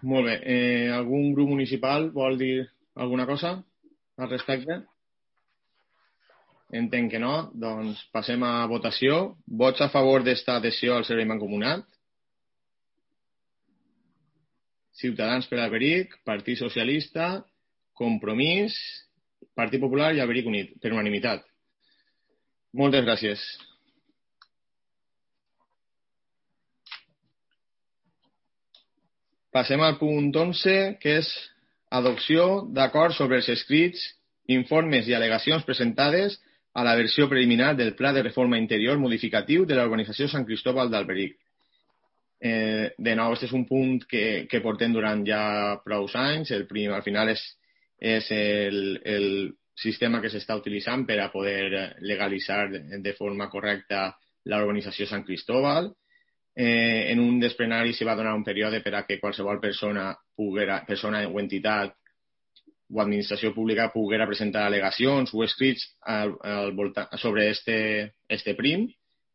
Molt bé. Algun grup municipal vol dir alguna cosa al respecte? Entenc que no. Doncs passem a votació. Vots a favor d'esta adhesió al servei mancomunat? Ciutadans per Alberic, Partit Socialista, Compromís, Partit Popular i Alberic Unit, per unanimitat. Moltes gràcies. Passem al punt 11, que és adopció d'acords sobre els escrits, informes i al·legacions presentades a la versió preliminar del Pla de Reforma Interior modificatiu de la urbanització Sant Cristóbal d'Alberic. De nou, aquest és un punt que portem durant ja prou anys. Al final és el sistema que s'està utilitzant per a poder legalitzar de forma correcta la urbanització Sant Cristóbal. En un dels plenaris s'hi va donar un període per a que qualsevol persona o entitat o administració pública poguera presentar al·legacions o escrits sobre este prim,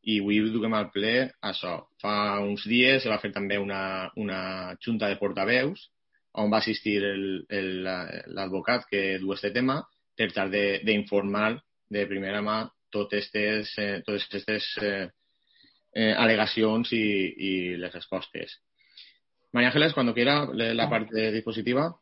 i avui duem al ple això. Fa uns dies se va fer també una junta de portaveus on va assistir l'advocat que du este tema per tal d'informar de primera mà totes aquestes al·legacions y las respuestas. María Ángeles, cuando quiera, la parte dispositiva.